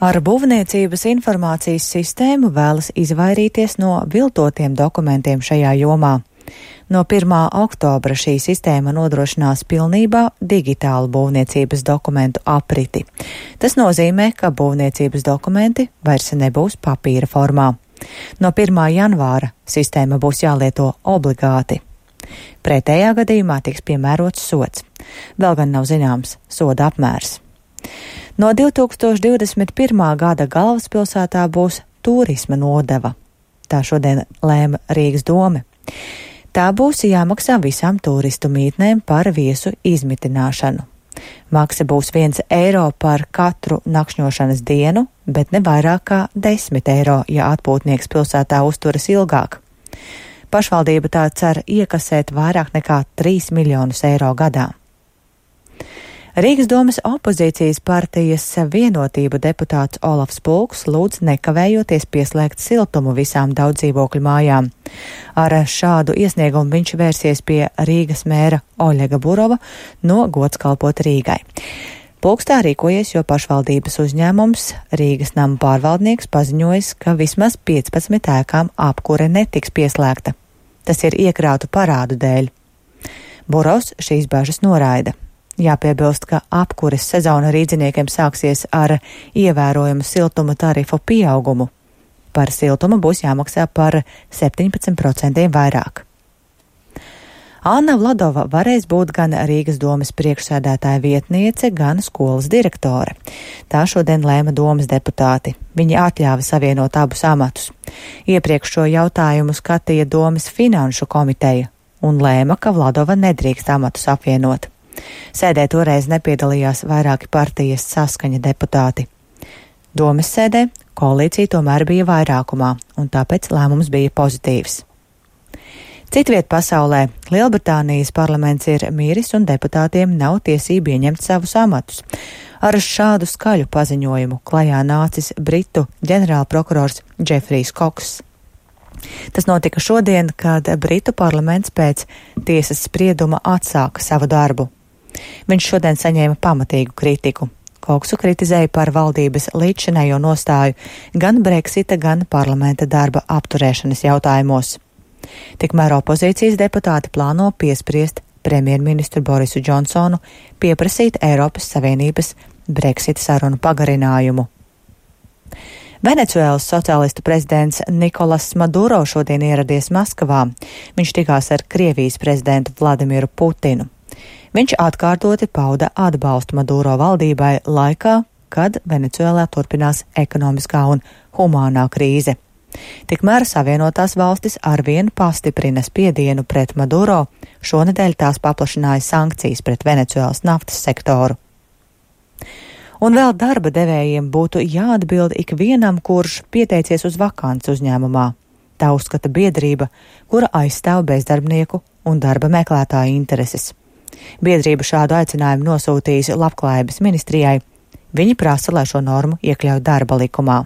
Ar būvniecības informācijas sistēmu vēlas izvairīties no viltotiem dokumentiem šajā jomā. No 1. oktobra šī sistēma nodrošinās pilnībā digitālu būvniecības dokumentu apriti. Tas nozīmē, ka būvniecības dokumenti vairs nebūs papīra formā. No 1. janvāra sistēma būs jālieto obligāti. Pretējā gadījumā tiks piemērots sods. Vēl gan nav zināms soda apmērs. No 2021. gada galvaspilsētā būs turisma nodeva. Tā šodien lēma Rīgas doma. Tā būs jāmaksā visām turistu mītnēm par viesu izmitināšanu. Maksa būs 1 eiro par katru nakšņošanas dienu, bet ne vairāk kā 10 eiro, ja atpūtnieks pilsētā uzturas ilgāk. Pašvaldība tā cer iekasēt vairāk nekā 3 miljonus eiro gadā. Rīgas domas opozīcijas partijas Vienotība deputāts Olafs Pulks lūdz nekavējoties pieslēgt siltumu visām daudzdzīvokļu mājām. Ar šādu iesniegumu viņš vērsies pie Rīgas mēra Oļega Burova no Gods kalpot Rīgai. Pulks tā rīkojies, jo pašvaldības uzņēmums Rīgas nama pārvaldnieks paziņojis, ka vismaz 15 ēkām apkure netiks pieslēgta. Tas ir iekrātu parādu dēļ. Burovs šīs bažas noraida. Jāpiebilst, ka apkures sezona rīdziniekiem sāksies ar ievērojumu siltuma tarifu pieaugumu. Par siltumu būs jāmaksā par 17% vairāk. Anna Vladova varēs būt gan Rīgas domas priekšsēdētāja vietniece, gan skolas direktore. Tā šodien lēma domas deputāti. Viņi atļāva savienot abus amatus. Iepriekš šo jautājumu skatīja domas finanšu komiteja un lēma, ka Vladova nedrīkst amatus apvienot. Sēdē toreiz nepiedalījās vairāki partijas Saskaņa deputāti. Domes sēdē koalīcija tomēr bija vairākumā, un tāpēc lēmums bija pozitīvs. Citviet pasaulē Lielbritānijas parlaments ir miris un deputātiem nav tiesība ieņemt savus amatus. Ar šādu skaļu paziņojumu klajā nācis Britu ģenerālprokurors Džefrijs Koks. Tas notika šodien, kad Britu parlaments pēc tiesas sprieduma atsāka savu darbu. Viņš šodien saņēma pamatīgu kritiku. Koksu kritizēja par valdības līdzšinējo nostāju gan Brexita, gan parlamenta darba apturēšanas jautājumos. Tikmēr opozīcijas deputāti plāno piespriest premjerministru Borisu Džonsonu pieprasīt Eiropas Savienības Brexita sarunu pagarinājumu. Venecuēlas sociālistu prezidents Nikolas Maduro šodien ieradies Maskavā. Viņš tikās ar Krievijas prezidentu Vladimiru Putinu. Viņš atkārtoti pauda atbalstu Maduro valdībai laikā, kad Venecuēlā turpinās ekonomiskā un humānā krīze. Tikmēr Savienotās valstis arvien pastiprina spiedienu pret Maduro, šonedēļ tās paplašināja sankcijas pret Venecuēlas naftas sektoru. Un vēl darba devējiem būtu jāatbild ikvienam, kurš pieteicies uz vakanci uzņēmumā. Tā uzskata biedrība, kura aizstāv bezdarbnieku un darba meklētāju intereses. Biedrība šādu aicinājumu nosūtījusi Labklājības ministrijai. Viņi prasa, lai šo normu iekļauj darba likumā.